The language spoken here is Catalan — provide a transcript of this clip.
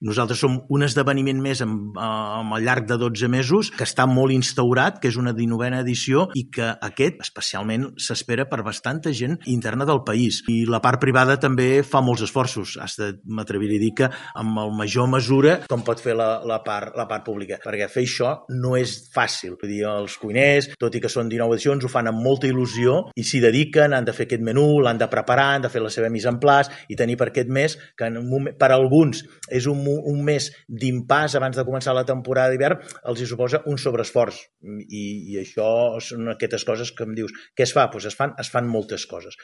Nosaltres som un esdeveniment més al llarg de 12 mesos que està molt instaurat, que és una 19a edició i que aquest especialment s'espera per bastanta gent interna del país. I la part privada també fa molts esforços. M'atreviria a dir que amb el major mesura com pot fer la part pública, perquè fer això no és fàcil. Vull dir, els cuiners, tot i que són 19 edicions, ho fan amb molta il·lusió i s'hi dediquen, han de fer aquest menú, l'han de preparar, han de fer la seva mise en place i tenir per aquest mes, que per alguns és un mes d'impàs abans de començar la temporada d'hivern, els hi suposa un sobreesforç. I això són aquestes coses que em dius, què es fa? Doncs es fan moltes coses.